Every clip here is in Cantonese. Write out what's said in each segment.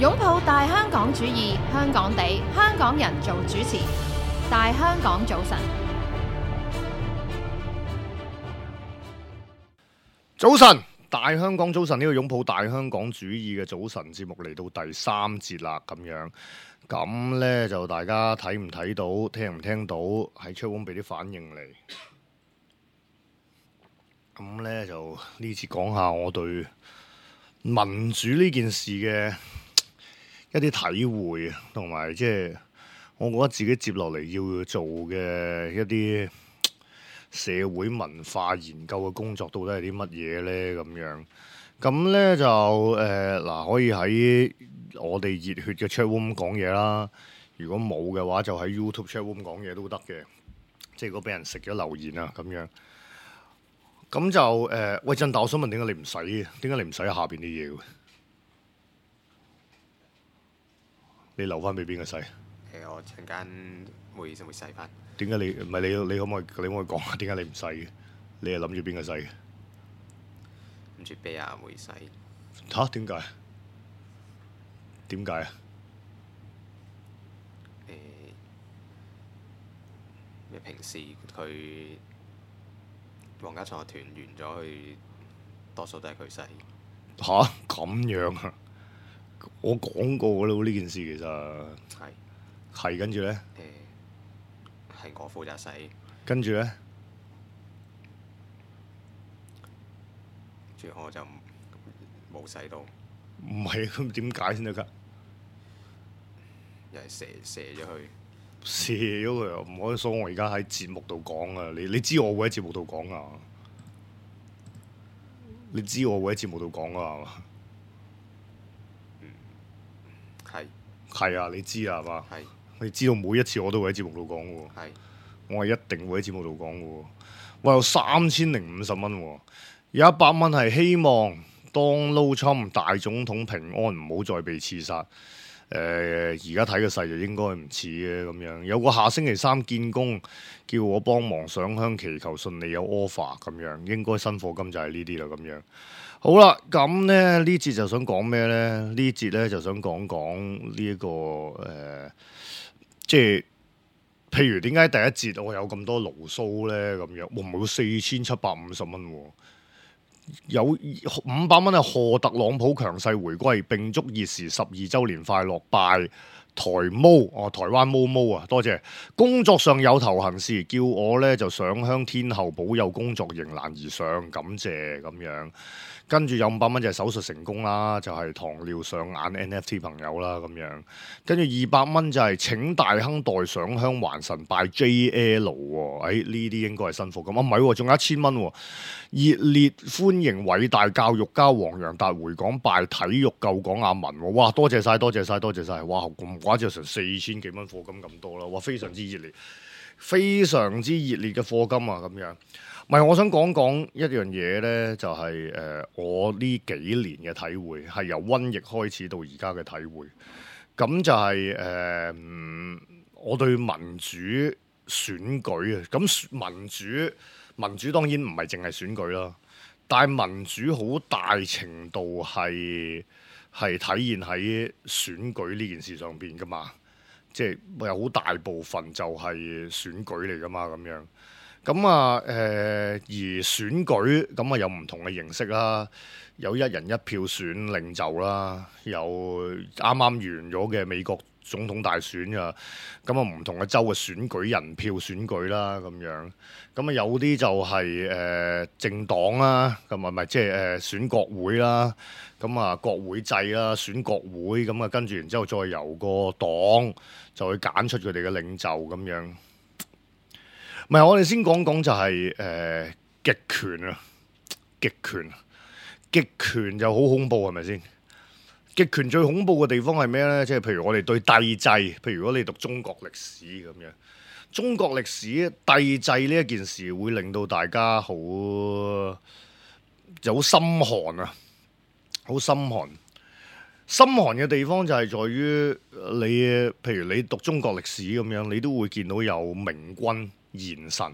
擁抱大香港主義，香港地，香港人做主持。大香港早晨，早晨，大香港早晨，呢個擁抱大香港主義嘅早晨節目嚟到第三節啦，咁呢，就大家睇唔睇到，聽唔聽到，喺 chatroom 俾啲反應嚟。咁呢，就呢次講下我對民主呢件事嘅一啲體會，同埋即係我覺得自己接落嚟要做嘅一啲社會文化研究嘅工作，到底係啲乜嘢呢？咁呢就嗱，可以喺我哋熱血嘅 chatroom 講嘢啦。如果冇嘅話，就喺 YouTube chatroom 講嘢都得嘅。即係如果俾人食咗留言啊，咁樣。咁就喂，振達，我想問點解你唔洗嘅？點解你唔洗下邊啲嘢嘅？你留翻俾邊個洗？我陣間會洗翻。點解你唔係你可唔可以講下點解你唔洗嘅？你係諗住邊個洗嘅？諗住俾阿妹洗。嚇？點解？點解啊？咩平時佢皇家創樂團完咗，佢多數都係佢洗。吓？咁樣啊？我講過㗎啦，呢件事其實係跟住咧，係我負責洗。跟住咧，住我就冇洗到。唔係咁點解先得㗎？又係射咗佢。射咗佢啊！唔可以所我而家喺節目度講啊！你知我會喺節目度講啊！你知我會喺節目度講啊？係嘛？係啊！你知啊？係嘛？係。你知道每一次我都會喺節目度講嘅喎。係。我係一定會喺節目度講嘅喎。我有3050蚊喎，有100蚊係希望 Donald Trump 大總統平安，唔好再被刺殺。而家睇個勢就應該唔似嘅咁樣，有個下星期三見工，叫我幫忙上香祈求順利有 offer 咁樣，應該新課金就係呢啲啦咁樣。好啦，咁呢節就想講咩呢？呢節呢就想講呢一個即係譬如點解第一節我有咁多牢騷呢？咁樣，哇唔係4750蚊喎。有500蚊係賀特朗普強勢回歸，並祝熱時12週年快樂，拜台灣毛毛啊，多謝。工作上有頭痕事，叫我呢就上香天后保佑工作迎難而上，感謝咁樣。跟住有500蚊就係手術成功啦，就係糖尿上眼 NFT 朋友啦咁樣。跟住200蚊就係請大亨代上香還神拜 JL 喎，呢啲應該係新貨咁啊，唔係喎，仲有1000蚊喎。熱烈歡迎偉大教育家黃洋達回港拜體育救港阿文喎，哇多謝晒，哇咁寡就成4000幾蚊課金咁多啦，哇非常之熱烈，非常之熱烈嘅課金啊咁樣。唔係，我想講一樣嘢呢，就係我呢幾年嘅體會，係由瘟疫開始到而家嘅體會。咁就係我對民主選舉啊，咁民主當然唔係淨係選舉啦，但係民主好大程度係體現喺選舉呢件事上邊噶嘛，即係有好大部分就係選舉嚟噶嘛咁樣。咁而選舉咁有唔同嘅形式啦，有一人一票選領袖啦，有啱啱完咗嘅美國總統大選啊，咁唔同嘅州嘅選舉人票選舉啦咁樣，咁有啲就係政黨啦，咁唔係即係選國會啦，咁國會制啦，選國會咁跟住然之後再由個黨就去揀出佢哋嘅領袖咁樣。唔係，我哋先講就係極權啊，極權就好恐怖係咪先？極權最恐怖嘅地方係咩呢？即係譬如我哋對帝制，譬如如果你讀中國歷史咁樣，中國歷史帝制呢一件事會令到大家好心寒啊，好心寒。心寒嘅地方就係在於你，譬如你讀中國歷史咁樣，你都會見到有明君賢臣，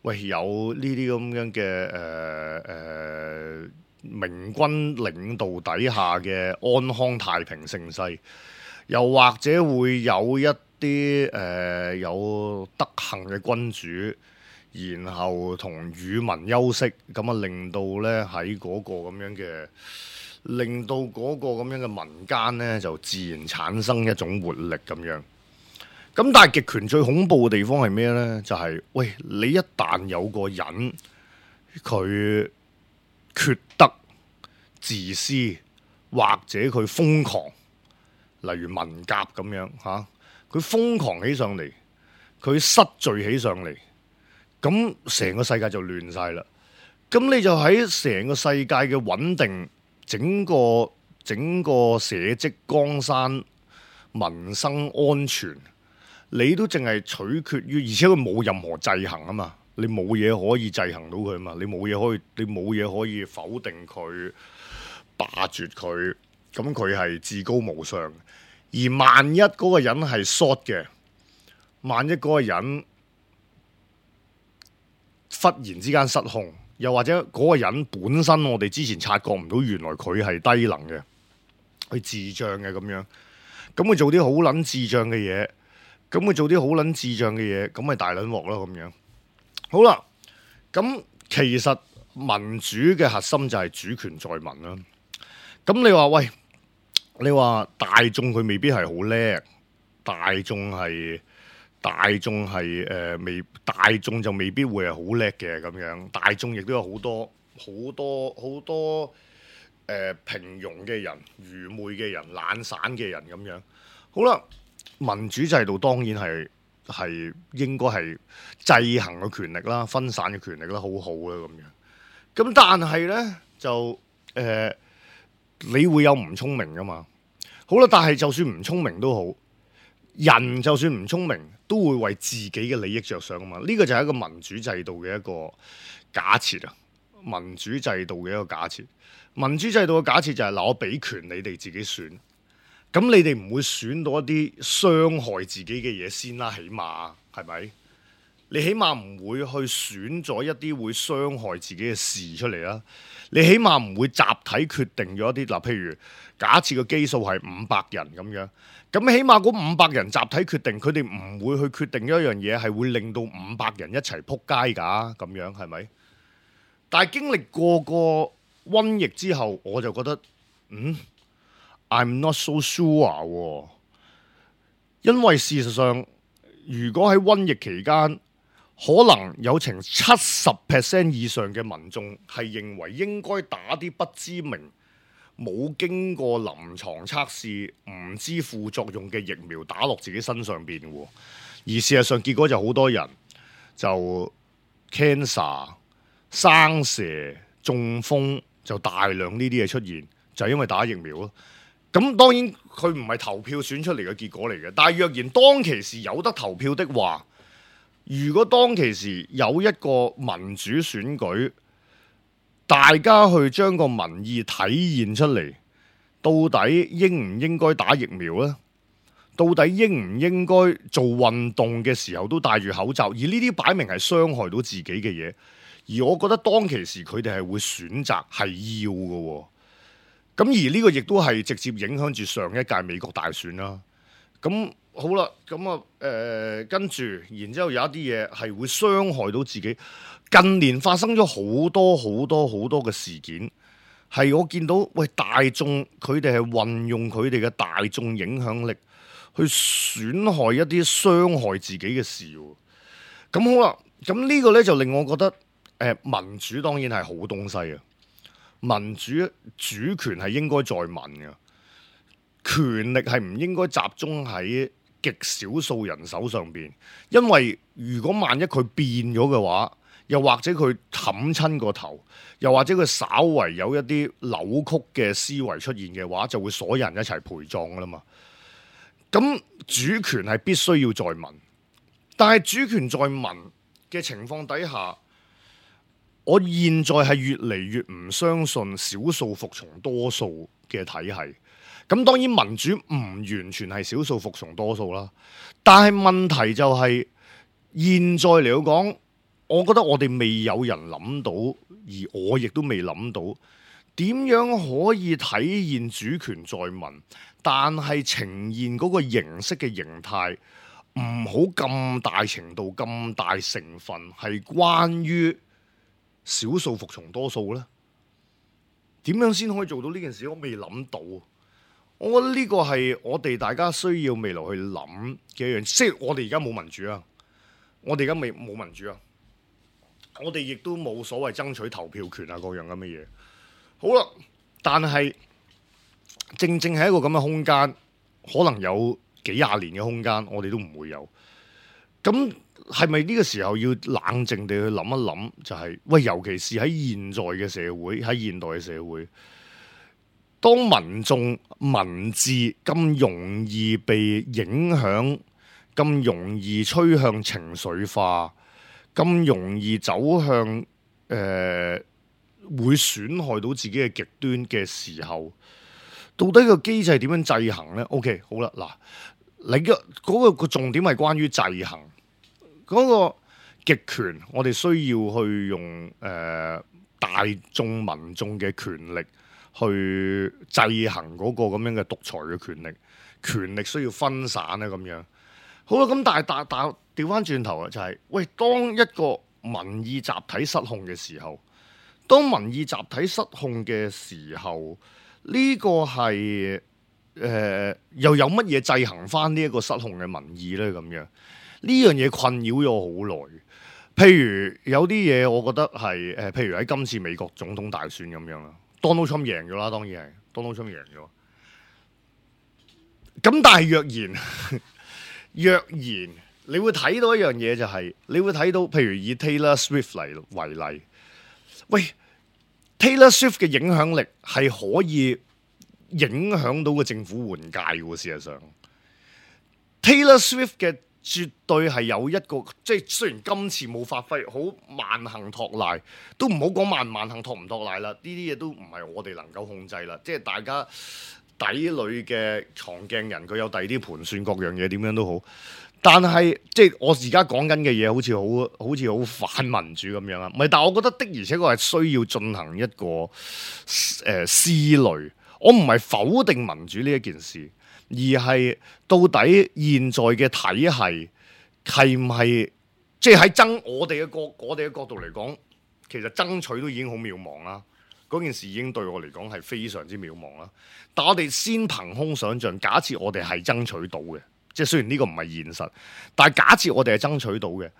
喂有呢啲咁樣嘅明君領導底下嘅安康太平盛世，又或者會有一啲有德行嘅君主，然後同與民休息，咁啊令到咧喺嗰個咁樣嘅，令到嗰個咁樣嘅民間咧就自然產生一種活力咁樣。咁但係極權最恐怖嘅地方係咩咧？就係喂，你一旦有個人佢缺德、自私或者佢瘋狂，例如文革咁樣嚇，佢瘋狂起上嚟，佢失序起上嚟，咁成個世界就亂晒啦。咁你就喺成個世界嘅穩定，整個社稷江山、民生安全，你都淨係取決於，而且佢冇任何制衡啊嘛。你冇嘢可以制衡到佢啊嘛，你冇嘢可以否定佢、霸絕佢，咁佢係至高無上。而萬一嗰個人係 short 嘅，萬一嗰個人忽然之間失控，又或者嗰個人本身我哋之前察覺唔到，原來佢係低能嘅，佢智障嘅咁樣，咁佢做啲好撚智障嘅嘢，咁咪大撚鑊咯咁樣。好啦，咁其實民主嘅核心就係主權在民啦。咁你話喂，你話大眾佢未必係好叻，大眾就未必會係好叻嘅咁樣。大眾亦都有好多平庸嘅人、愚昧嘅人、懶散嘅人咁樣。好啦，民主制度當然係應該係制衡嘅權力啦、分散嘅權力啦，好好啦咁樣。咁但係呢，就你會有唔聰明噶嘛？好啦，但係就算唔聰明都好，人就算唔聰明都會為自己嘅利益着想啊嘛。呢個就係一個民主制度嘅一個假設啊。民主制度嘅一個假設，民主制度嘅假設就係嗱，我俾權你哋自己選。咁你哋唔會選到一啲傷害自己嘅嘢先啦，起碼係咪？你起碼唔會去選咗一啲會傷害自己嘅事出嚟啦。你起碼唔會集體決定咗一啲嗱，譬如假設個基數係500人咁樣，咁起碼嗰500人集體決定，佢哋唔會去決定一樣嘢係會令到500人一齊撲街㗎，咁樣係咪？但係經歷過個瘟疫之後，我就覺得I'm not so sure 因為事實上，如果喺瘟疫期間，可能有成70% 以上嘅民眾係認為應該打啲不知名、冇經過臨床測試、唔知副作用嘅疫苗打落自己身上邊喎。而事實上結果就好多人就 cancer、生蛇、中風，就大量呢啲嘢出現，就係因為打疫苗咯。咁當然佢唔係投票選出嚟嘅結果嚟嘅，但係若然當其時有得投票的話，如果當其時有一個民主選舉，大家去將個民意體現出嚟，到底應唔應該打疫苗呢？到底應唔應該做運動嘅時候都戴住口罩？而呢啲擺明係傷害到自己嘅嘢，而我覺得當其時佢哋係會選擇係要嘅喎。咁而呢個亦都係直接影響住上一屆美國大選啦。咁好啦，咁啊跟住，然之後有一啲嘢係會傷害到自己。近年發生咗好多嘅事件，係我見到喂大眾佢哋係運用佢哋嘅大眾影響力去損害一啲傷害自己嘅事。咁好啦，咁呢個呢就令我覺得民主當然係好東西啊。民主主權係應該在民嘅，權力係唔應該集中喺極少數人手上邊。因為如果萬一佢變咗嘅話，又或者佢冚親個頭，又或者佢稍為有一啲扭曲嘅思維出現嘅話，就會所有人一齊陪葬噶啦嘛。咁主權係必須要在民，但係主權在民嘅情況底下，我現在係越嚟越唔相信少數服從多數嘅體系。咁當然民主唔完全係少數服從多數啦，但係問題就係現在嚟講，我覺得我哋未有人諗到，而我亦都未諗到點樣可以體現主權在民，但係呈現嗰個形式嘅形態唔好咁大程度、咁大成分係關於少數服從多數呢？點樣先可以做到呢件事？我未諗到。我覺得呢個係我哋大家需要未來去諗嘅一樣。即係我哋而家冇民主啊，我哋而家冇民主啊，我哋亦都冇所謂爭取投票權啊各樣咁嘅嘢。好啦，但係正正係一個咁嘅空間，可能有幾廿年嘅空間，我哋都唔會有。咁係咪呢個時候要冷靜地去諗一諗？就係喂，尤其是喺現在嘅社會，喺現代嘅社會。當民眾文字咁容易被影響，咁容易趨向情緒化，咁容易走向會損害到自己嘅極端嘅時候，到底個機制點樣制衡呢？ OK， 好啦，嗱，你嘅嗰個重點係關於制衡嗰個極權，我哋需要去用大眾民眾嘅權力。去制衡嗰個咁樣嘅獨裁嘅權力，權力需要分散啊咁樣。好啦，咁但係調翻轉頭啊，就係喂，當一個民意集體失控嘅時候，當民意集體失控嘅時候，呢個係又有乜嘢制衡翻呢一個失控嘅民意咧？咁樣呢樣嘢困擾咗我好耐。譬如有啲嘢，我覺得係譬如喺今次美國總統大選咁樣啦。Donald Trump 贏咗啦，當然係 Donald Trump 贏咗。咁但係若然你會睇到一樣嘢就係，你會睇到譬如以 Taylor Swift 為例，喂 Taylor Swift 嘅影響力係可以影響到個政府換屆嘅。事實上 Taylor Swift 嘅絕對係有一個，即係雖然今次冇發揮好萬幸托賴，都唔好講萬幸托唔托賴啦。呢啲嘢都唔係我哋能夠控制啦。即係大家底裏嘅藏鏡人，佢有第二啲盤算，各樣嘢點樣都好。但係即係我而家講緊嘅嘢，好似好反民主咁樣啊。唔係，但係我覺得的而且確係需要進行一個思慮。我唔係否定民主呢一件事。而係到底現在嘅體系係唔係即係喺我哋嘅角度嚟講，其實爭取都已經好渺茫啦。嗰件事已經對我嚟講係非常之渺茫啦。但我哋先憑空想像，假設我哋係爭取到嘅，即係雖然呢個唔係現實，但係假設我哋係爭取到嘅，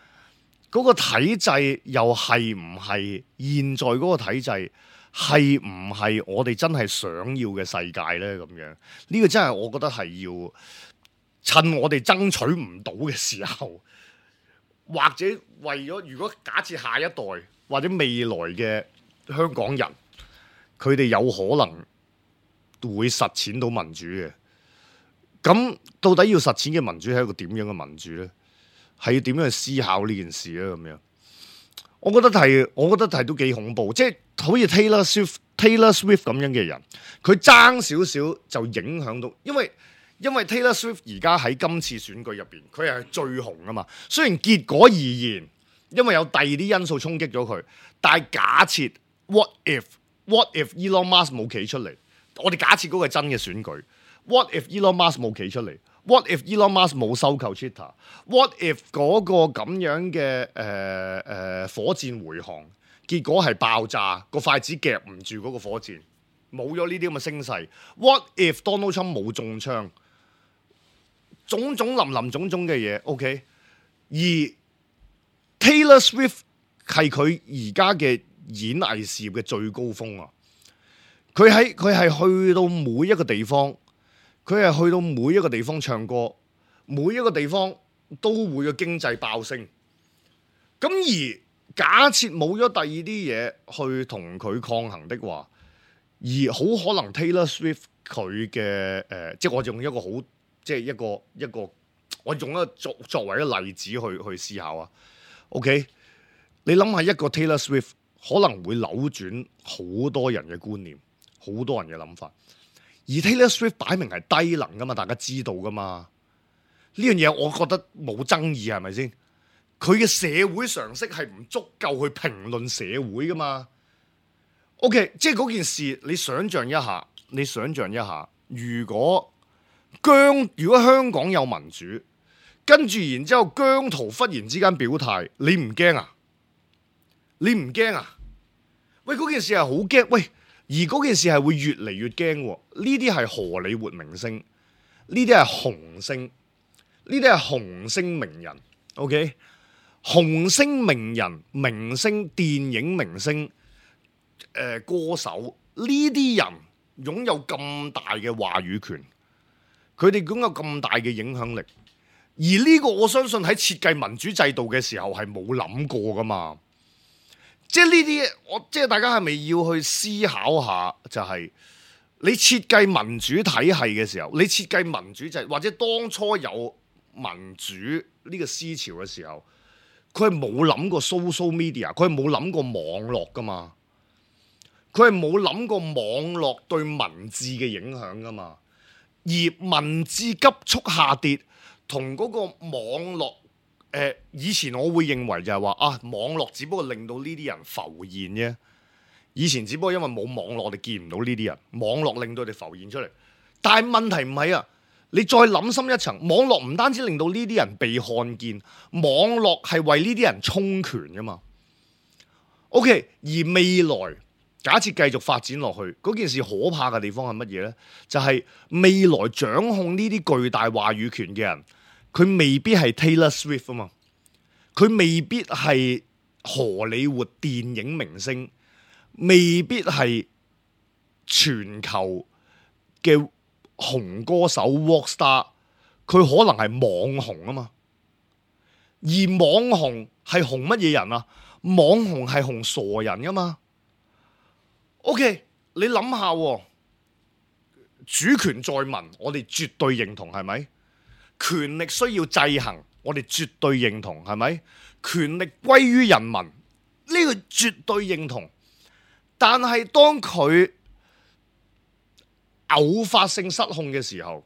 嗰個體制又係唔係現在嗰個體制？係唔係我哋真係想要嘅世界呢？咁樣呢個真係我覺得係要趁我哋爭取唔到嘅時候，或者為咗如果假設下一代或者未來嘅香港人，佢哋有可能會實踐到民主嘅，咁到底要實踐嘅民主係一個點樣嘅民主呢？係要點樣去思考呢件事呢？咁樣我覺得係都幾恐怖，即係好似 Taylor Swift 咁樣嘅人，佢爭少少就影響到，因為 Taylor Swift 而家喺今次選舉入邊，佢係最紅啊嘛。雖然結果而言，因為有第二啲因素衝擊咗佢，但係假設 what if Elon Musk 冇企出嚟，我哋假設嗰個係真嘅選舉 ，what if Elon Musk 冇企出嚟？What if Elon Musk 冇收購 Twitter？What if 嗰個咁樣嘅火箭回航，結果係爆炸，個筷子夾唔住嗰個火箭，冇咗呢啲咁嘅聲勢。What if Donald Trump 冇中槍？種種林種種嘅嘢 ，OK。而 Taylor Swift 係佢而家嘅演藝事業嘅最高峰啊！佢係去到每一個地方。佢係去到每一個地方唱歌，每一個地方都會嘅經濟爆升。咁而假設冇咗第二啲嘢去同佢抗衡的話，而好可能 Taylor Swift 佢嘅即係我用一個好，即係一個，我用一個作為一個例子去思考啊。OK， 你諗下一個 Taylor Swift 可能會扭轉好多人嘅觀念，好多人嘅諗法。而 Taylor Swift 擺明係低能噶嘛，大家知道噶嘛？呢樣嘢我覺得冇爭議，係咪先？佢嘅社會常識係唔足夠去評論社會噶嘛？ OK， 即係嗰件事，你想象一下，如果香港有民主，跟住然之後姜濤忽然之間表態，你唔驚啊？你唔驚啊？喂，嗰件事係好驚，喂，而嗰件事係會越嚟越驚喎。呢啲係荷里活明星，呢啲係紅星，呢啲係紅星名人 ，OK？ 紅星名人、明星、電影明星、歌手，呢啲人擁有咁大嘅話語權，佢哋擁有咁大嘅影響力，而呢個我相信喺設計民主制度嘅時候係冇諗過噶嘛。即係呢啲，即係大家係咪要去思考下？就係你設計民主體系嘅時候，你設計民主制，或者當初有民主呢個思潮嘅時候，佢係冇諗過 social media， 佢係冇諗過網絡噶嘛，佢係冇諗過網絡對文字嘅影響噶嘛，而文字急速下跌同嗰個網絡。以前我會認為就係話網絡只不過令到呢啲人浮現啫。以前只不過因為冇網絡，我哋見唔到呢啲人，網絡令到佢哋浮現出嚟。但係問題唔係啊，你再諗深一層，網絡唔單止令到呢啲人被看見，網絡係為呢啲人充權噶嘛。OK， 而未來假設繼續發展落去，嗰件事可怕嘅地方係乜嘢呢？就係未來掌控呢啲巨大話語權嘅人。佢未必係 Taylor Swift 啊嘛，佢未必係荷里活電影明星，未必係全球嘅紅歌手 Rockstar， 佢可能係網紅啊嘛。而網紅係紅乜嘢人啊？網紅係紅傻人噶嘛。OK， 你諗下，主權在民，我哋絕對認同，係咪？權力需要制衡，我哋絕對認同，係咪？權力歸於人民，呢個絕對認同。但係當佢偶發性失控嘅時候，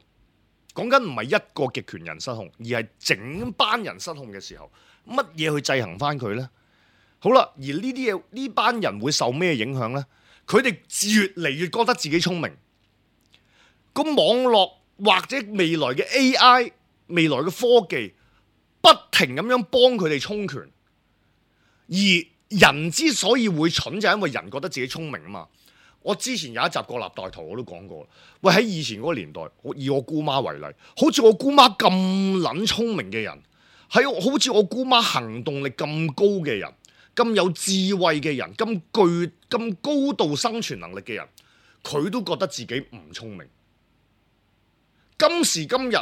講緊唔係一個極權人失控，而係整班人失控嘅時候，乜嘢去制衡翻佢呢？好啦，而呢啲嘢，呢班人會受咩影響呢？佢哋越嚟越覺得自己聰明，個網絡或者未來嘅 AI。未來嘅科技不停咁樣幫佢哋充權，而人之所以會蠢，就係因為人覺得自己聰明啊嘛。我之前有一集國立大圖我都講過，喂，喺以前嗰個年代，以我姑媽為例，好似我姑媽咁撚聰明嘅人，好似我姑媽行動力咁高嘅人，咁有智慧嘅人，咁高度生存能力嘅人，佢都覺得自己唔聰明。今時今日。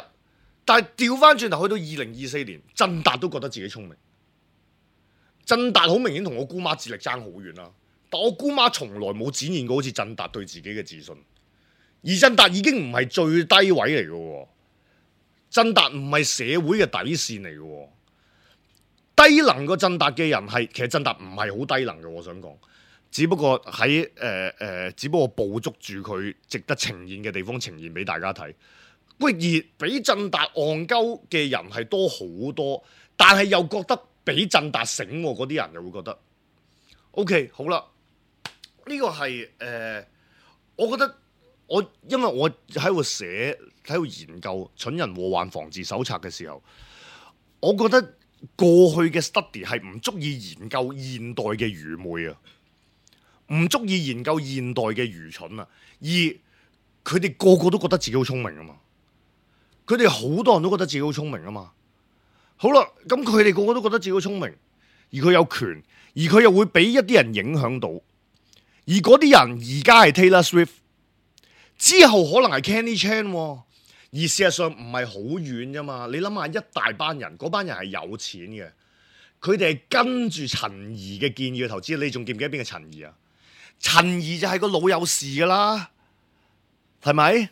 但係調翻轉頭去到2024年，振達都覺得自己聰明。振達好明顯同我姑媽智力爭好遠啦，但我姑媽從來冇展現過好似振達對自己嘅自信。而振達已經唔係最低位嚟嘅，振達唔係社會嘅底線嚟嘅。低能個振達嘅人其實振達唔係好低能嘅，我想講，只不過只不過捕捉住佢值得呈現嘅地方，呈現俾大家睇。喂，而比振達戇鳩嘅人係多好多，但係又覺得比振達醒嗰啲人又會覺得 OK 好啦。呢個係我覺得因為我喺度喺度研究《蠢人禍患防治手冊》嘅時候，我覺得過去嘅 study 係唔足以研究現代嘅愚昧啊，唔足以研究現代嘅愚蠢啊，而佢哋個個都覺得自己好聰明啊嘛。佢哋好多人都覺得自己好聰明啊嘛。好啦，咁佢哋個個都覺得自己好聰明，而佢有權，而佢又會俾一啲人影響到，而嗰啲人而家係 Taylor Swift， 之後可能係 Kenny Chan， 而事實上唔係好遠啫嘛。你諗下，一大班人，嗰班人係有錢嘅，佢哋係跟住陳怡嘅建議去投資。你仲記唔記得邊個陳怡啊？陳怡就係個老友事噶啦，係咪？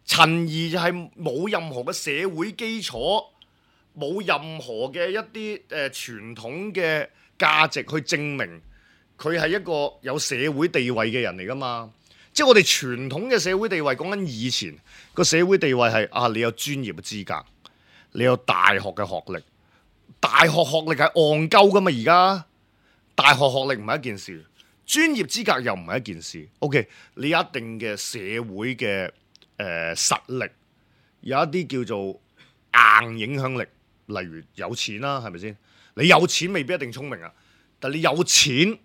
陳怡就係冇任何嘅社會基礎，冇任何嘅一啲傳統嘅價值去證明佢係一個有社會地位嘅人嚟噶嘛。即係我哋傳統嘅社會地位，講緊以前個社會地位係你有專業嘅資格，你有大學嘅學歷，大學學歷係戇鳩噶嘛。而家大學學歷唔係一件事，專業資格又唔係一件事。OK， 你有一定嘅社會嘅實力，有一啲叫做硬影響力，例如有錢啦，係咪先？你有錢未必一定聰明啊，但你有錢，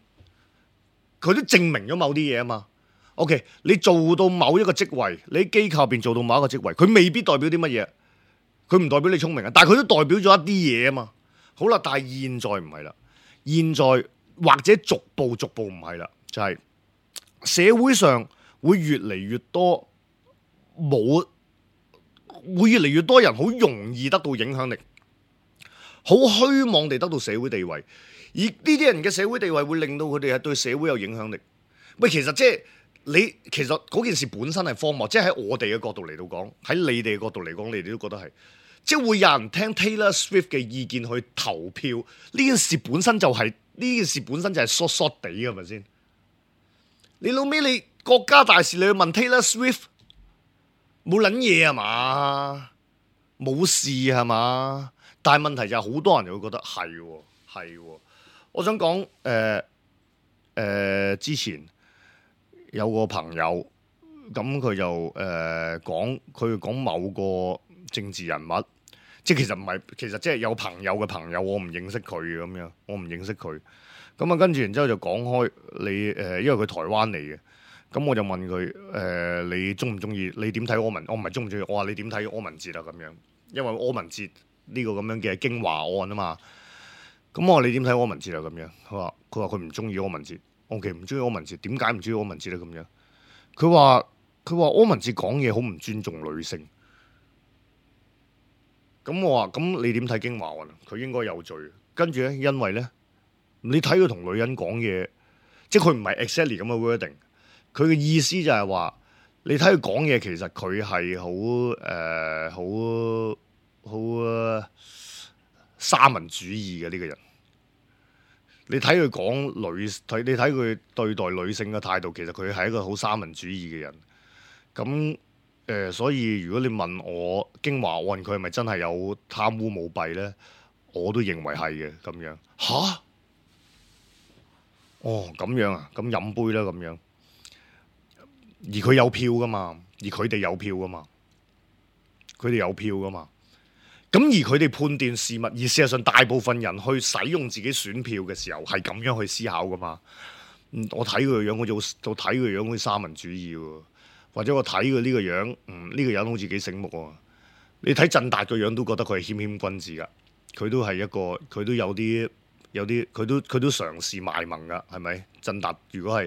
佢都證明咗某啲嘢啊嘛。OK， 你做到某一個職位，你喺機構入邊做到某一個職位，佢未必代表啲乜嘢，佢唔代表你聰明啊，但係佢都代表咗一啲嘢啊嘛。好啦，但係現在唔係啦，現在或者逐步唔係啦，就係社會上會越嚟越多會越嚟越多人好容易得到影響力，好虛妄地得到社會地位，而呢啲人嘅社會地位會令到佢哋係對社會有影響力。喂，其實即係其實嗰件事本身係荒謬，即係喺我哋嘅角度嚟到講，喺你哋嘅角度嚟講，你哋都覺得係。即係會有人聽 Taylor Swift 嘅意見去投票，呢件事本身就係疏地嘅，係咪先？你老尾你國家大事你去問 Taylor Swift， 冇撚嘢係嘛？冇事係嘛？但係問題就係好多人就會覺得係。我想講之前有個朋友咁佢就講某個政治人物。即係其實唔係，其實即係有朋友嘅朋友，我唔認識佢咁樣，我唔認識佢。咁啊，跟住然之後就講開你因為佢台灣嚟嘅，咁我就問佢你中唔中意？你點睇柯文？我唔係中唔中意，我話你點睇柯文哲啊咁樣，因為柯文哲呢個咁樣嘅京華案啊嘛。咁我話你點睇柯文哲啊咁樣？佢話佢唔中意柯文哲。OK， 唔中意柯文哲，點解唔中意柯文哲咧咁樣？佢話柯文哲講嘢好唔尊重女性。咁我話咁你點睇京華案？佢應該有罪。跟住咧，因為咧，你睇佢同女人講嘢，即係佢唔係 exactly 咁嘅 wording。佢嘅意思就係話，你睇佢講嘢，其實佢係好三民主義嘅呢個人。你睇佢講你睇佢對待女性嘅態度，其實佢係一個好三民主義嘅人。咁所以如果你問我京華案佢係咪真係有貪污舞弊咧，我都認為係嘅咁樣。吓？哦咁樣啊，咁飲杯啦咁樣。而佢有票噶嘛，而佢哋有票噶嘛，佢哋有票噶嘛。咁而佢哋判斷事物，而事實上大部分人去使用自己選票嘅時候係咁樣去思考噶嘛。我睇佢個樣，我睇佢樣好似三民主義喎。或者我睇佢呢個樣，呢個人好似幾醒目喎。你睇振達個樣都覺得佢係謙君子噶，佢都係一個，佢都有啲，佢都嘗試賣萌噶，係咪？振達如果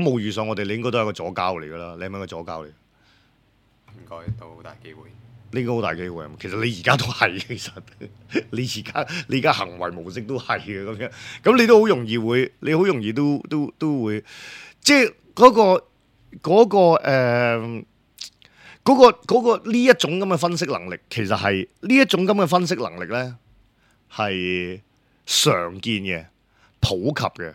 冇遇上我哋，你應該都係一個左膠嚟噶啦，你係咪一個左膠嚟？應該都好大機會。呢個好大機會，其實你而家都係，其實你而家行為模式都係嘅咁樣，咁你都好容易會，你好容易都會，即係嗰個呢一種咁嘅分析能力，其實係呢一種咁嘅分析能力咧，係常見嘅、普及嘅。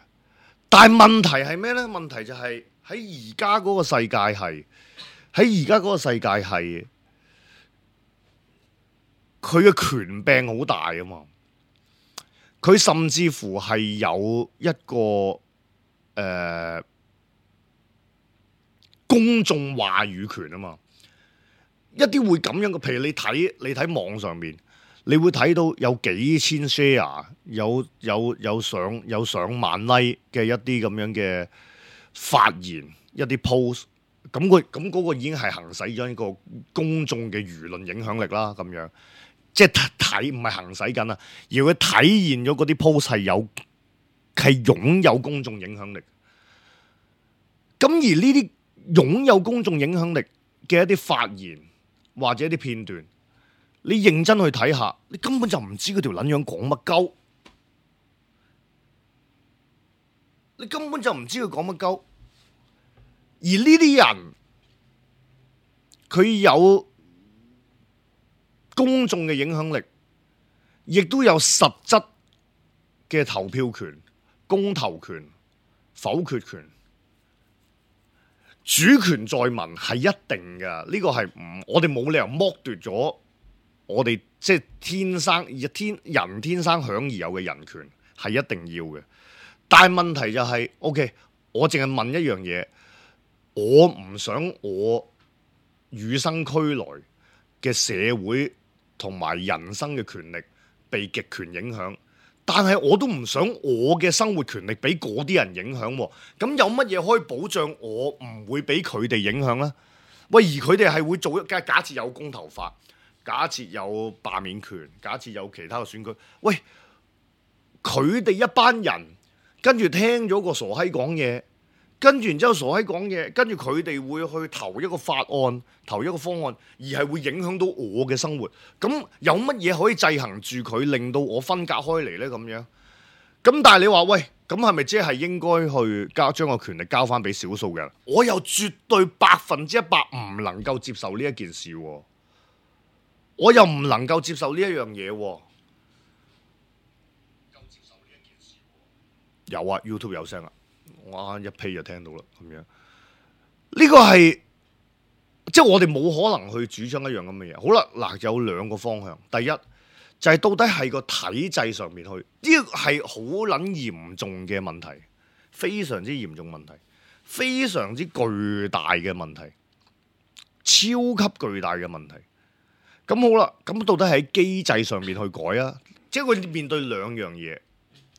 但係問題係咩咧？問題就係喺而家嗰個世界係佢嘅權柄好大啊嘛！佢甚至乎係有一個公眾話語權啊嘛，一啲會咁樣嘅，譬如你睇網上面，你會睇到有幾千 share， 有上萬 like 嘅一啲咁樣嘅發言，一啲 post， 咁嗰個已經係行使咗一個公眾嘅輿論影響力啦，咁樣即係唔係行使緊啊，而佢體現咗嗰啲 post 係擁有公眾影響力，咁而呢啲擁有公眾影響力嘅一啲發言或者一啲片段，你認真去睇下，你根本就唔知嗰條撚樣講乜鳩，你根本就唔知佢講乜鳩。而呢啲人佢有公眾嘅影響力，亦都有實質嘅投票權、公投權、否決權。主權在民係一定嘅，呢個係我哋冇理由剝奪咗我哋即係人天生享而有嘅人權，係一定要嘅。但係問題就係，OK，我淨係問一樣嘢，我唔想我與生俱來嘅社會同埋人生嘅權力被極權影響，但係我都唔想我嘅生活權力俾嗰啲人影響喎。咁有乜嘢可以保障我唔會俾佢哋影響呢？喂，而佢哋係會做假設有公投法，假設有罷免權，假設有其他嘅選舉，喂，佢哋一班人跟住聽咗個傻閪講嘢，跟住然之後傻閪講嘢，跟住佢哋會去投一個法案，投一個方案，而係會影響到我嘅生活。咁有乜嘢可以制衡住佢，令到我分隔開嚟呢？咁樣，咁但係你話喂，咁係咪即係應該去將個權力交翻俾少數嘅人？我又絕對100%唔能夠接受呢一件事喎，我又唔能夠接受呢一樣嘢喎。有啊 ，YouTube 有聲啊，我啱一批就聽到啦，咁樣呢個係即係我哋冇可能去主張一樣咁嘅嘢。好啦，嗱，有兩個方向，第一就係到底係個體制上面去，呢個係好撚嚴重嘅問題，非常之嚴重問題，非常之巨大嘅問題，超級巨大嘅問題。咁好啦，咁到底喺機制上面去改啊？即係佢面對兩樣嘢，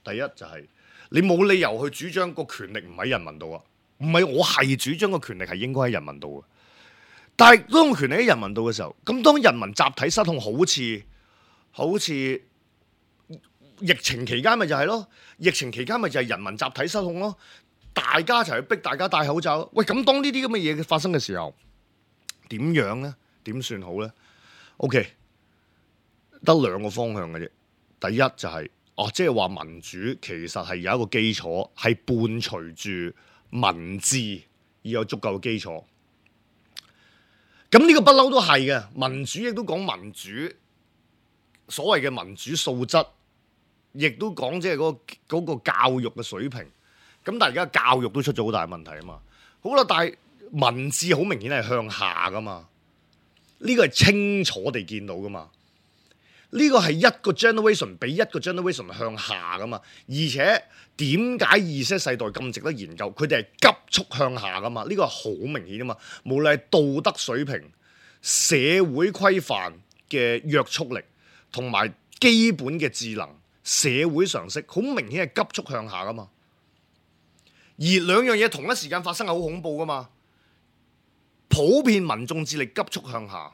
第一就係你冇理由去主張個權力唔喺人民度啊，唔係我係主張個權力係應該喺人民度嘅。但係當個權力喺人民度嘅時候，咁當人民集體失控，好似疫情期間咪就係咯，疫情期間咪就係人民集體失控咯，大家一齊去逼大家戴口罩。喂，咁當呢啲咁嘅嘢發生嘅時候，點樣呢？點算好呢？OK， 得兩個方向嘅啫。第一就係即係話民主其實係有一個基礎，係伴隨住民治而有足夠嘅基礎。咁呢個不嬲都係嘅，民主亦都講民主，所謂嘅民主素質，亦都講即係嗰個教育嘅水平。咁但係而家教育都出咗好大問題啊嘛。好啦，但係民治好明顯係向下噶嘛。呢個係清楚地見到噶嘛，呢個係一個 generation 比一個 generation 向下噶嘛，而且點解 Z 世代咁值得研究？佢哋係急速向下噶嘛，呢個係好明顯啊嘛。無論係道德水平、社會規範嘅約束力，同埋基本嘅智能、社會常識，好明顯係急速向下噶嘛。而兩樣嘢同一時間發生係好恐怖噶嘛。普遍民眾智力急速向下，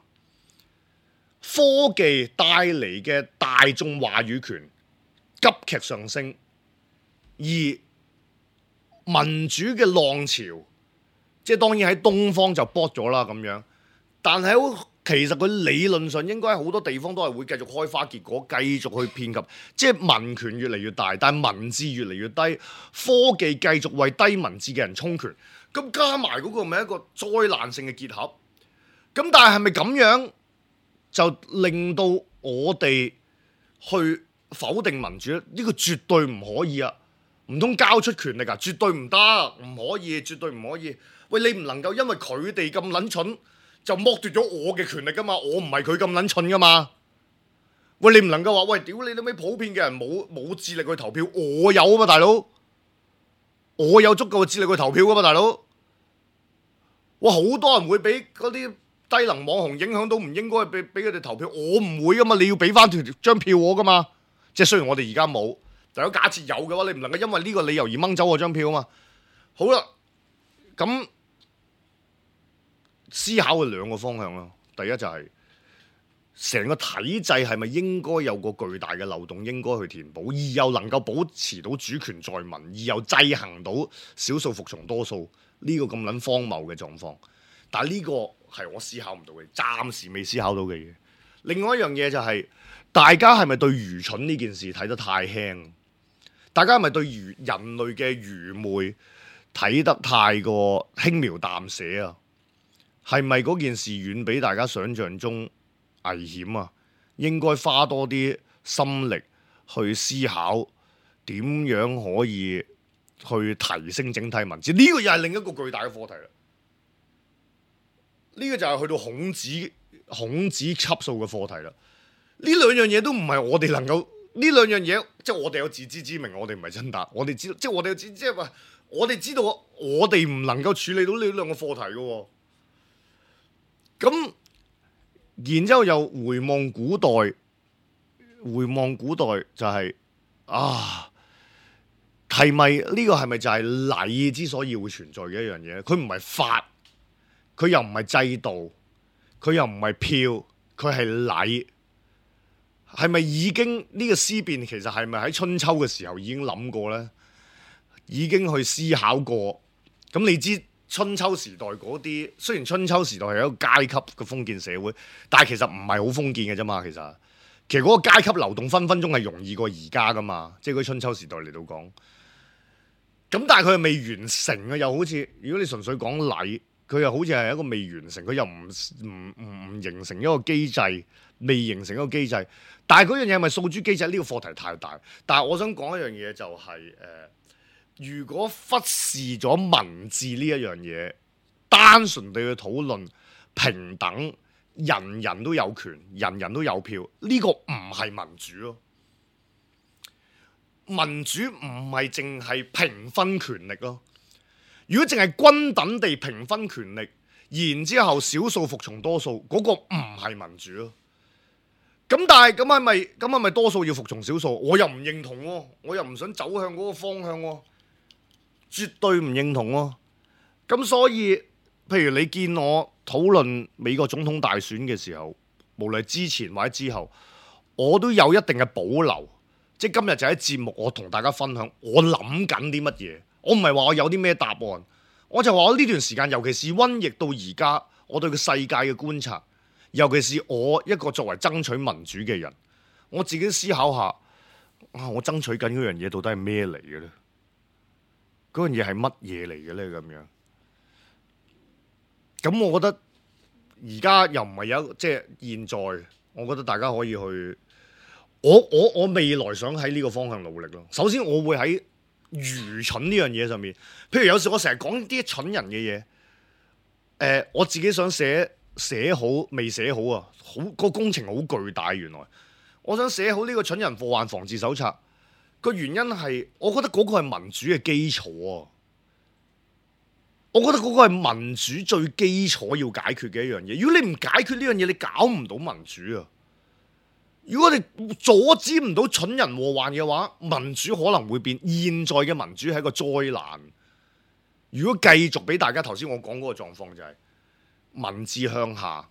科技帶嚟嘅大眾話語權急劇上升，而民主嘅浪潮，即係當然喺東方就搏咗啦咁樣，但係其實佢理論上應該好多地方都係會繼續開花結果，繼續去遍及，即係民權越嚟越大，但係民智越嚟越低，科技繼續為低民智嘅人充權。咁加埋嗰個咪一個災難性嘅結合，咁但係咪咁樣就令到我哋去否定民主咧？呢個絕對唔可以啊！唔通交出權力啊？絕對唔得，唔可以，絕對唔可以。喂，你唔能夠因為佢哋咁撚蠢就剝奪咗我嘅權力噶嘛？我唔係佢咁撚蠢噶嘛？喂，你唔能夠話喂，屌你老味，普遍嘅人冇智力去投票，我有啊嘛，大佬。我有足夠嘅智力去投票噶嘛，大佬！哇，好多人會俾嗰啲低能網紅影響到，唔應該俾佢哋投票。我唔會噶嘛，你要俾翻張票我噶嘛。即係雖然我哋而家冇，但係假設有嘅話，你唔能夠因為呢個理由而掹走我張票啊嘛。好啦，咁思考嘅兩個方向咯。第一就係成個體制係咪應該有個巨大嘅漏洞，應該去填補，而又能夠保持到主權在民，而又制衡到少數服從多數呢個咁撚荒謬嘅狀況。但係呢個係我思考唔到嘅，暫時未思考到嘅嘢。另外一樣嘢就係大家係咪對愚蠢呢件事睇得太輕？大家係咪對人類嘅愚昧睇得太過輕描淡寫啊？係咪嗰件事遠比大家想象中危險啊？應該花多啲心力去思考點樣可以去提升整體民智。呢個又係另一個巨大嘅課題啦。呢個就係去到孔子級數嘅課題啦。呢兩樣嘢都唔係我哋能夠，呢兩樣嘢即係我哋有自知之明，我哋唔係真達，我哋知道，即係我哋即係話，我哋知道我哋唔能夠處理到呢兩個課題嘅喎。咁然之後又回望古代就係係咪呢個係咪就係禮之所以會存在嘅一樣嘢？佢唔係法，佢又唔係制度，佢又唔係票，佢係禮。係咪已經呢個思辨其實係咪喺春秋嘅時候已經諗過呢？已經去思考過？咁你知春秋時代嗰啲，雖然春秋時代係一個階級嘅封建社會，但係其實唔係好封建嘅啫嘛。其實嗰個階級流動分分鐘係容易過而家噶嘛。即係嗰春秋時代嚟到講，咁但係佢係未完成啊。又好似如果你純粹講禮，佢又好似係一個未完成，佢又唔形成一個機制，未形成一個機制。但係嗰樣嘢係咪訴諸機制？呢個課題太大。但係我想講一樣嘢就係如果忽視咗文字呢一樣嘢，單純地去討論平等，人人都有權，人人都有票，呢個唔係民主咯。民主唔係淨係平分權力咯。如果淨係均等地平分權力，然之後少數服從多數，嗰個唔係民主咯。咁但係咁係咪多數要服從少數？我又唔認同喎，我又唔想走向嗰個方向喎，絕對唔認同喎。咁所以，譬如你見我討論美國總統大選嘅時候，無論之前或者之後，我都有一定嘅保留。即係今日就喺節目，我同大家分享我諗緊啲乜嘢。我唔係話我有啲咩答案，我就話我呢段時間，尤其是瘟疫到而家，我對個世界嘅觀察。尤其是我一個作為爭取民主嘅人，我自己思考下，我爭取緊嗰樣嘢到底係咩嚟嘅咧？嗰樣嘢係乜嘢嚟嘅咧？咁樣，咁我覺得而家又唔係有即係現在，我覺得大家可以去，我未來想喺呢個方向努力咯。首先，我會喺愚蠢呢樣嘢上面，譬如有時我成日講啲蠢人嘅嘢，我自己想寫好未寫好啊，個工程好巨大。原來我想寫好呢個蠢人禍患防治手冊，個原因係我覺得嗰個係民主嘅基礎啊。我覺得嗰個係民主最基礎要解決嘅一樣嘢。如果你唔解決呢樣嘢，你搞唔到民主啊。如果你阻止唔到蠢人禍患嘅話，民主可能會變。現在嘅民主係一個災難。如果繼續俾大家頭先我講嗰個狀況就係文字向下，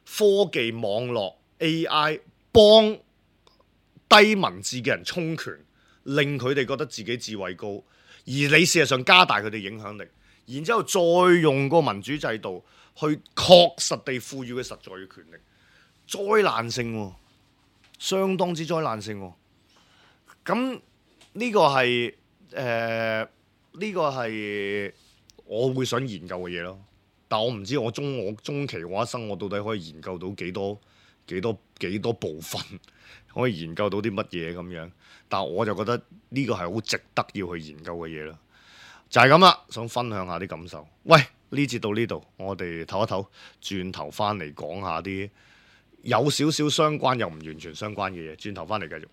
科技網絡 AI 幫低文字嘅人充權，令佢哋覺得自己智慧高，而你事實上加大佢哋影響力，然之後再用個民主制度去確實地賦予佢實在嘅權力，災難性喎，相當之災難性喎。咁呢個係呢個係我會想研究嘅嘢咯。但我唔知我中期我一生我到底可以研究到幾多部分，可以研究到啲乜嘢咁樣。但我就覺得呢個係好值得要去研究嘅嘢啦。就係咁啦，想分享下啲感受。喂，呢節到呢度，我哋唞一唞，轉頭翻嚟講下啲有少少相關又唔完全相關嘅嘢。轉頭翻嚟繼續。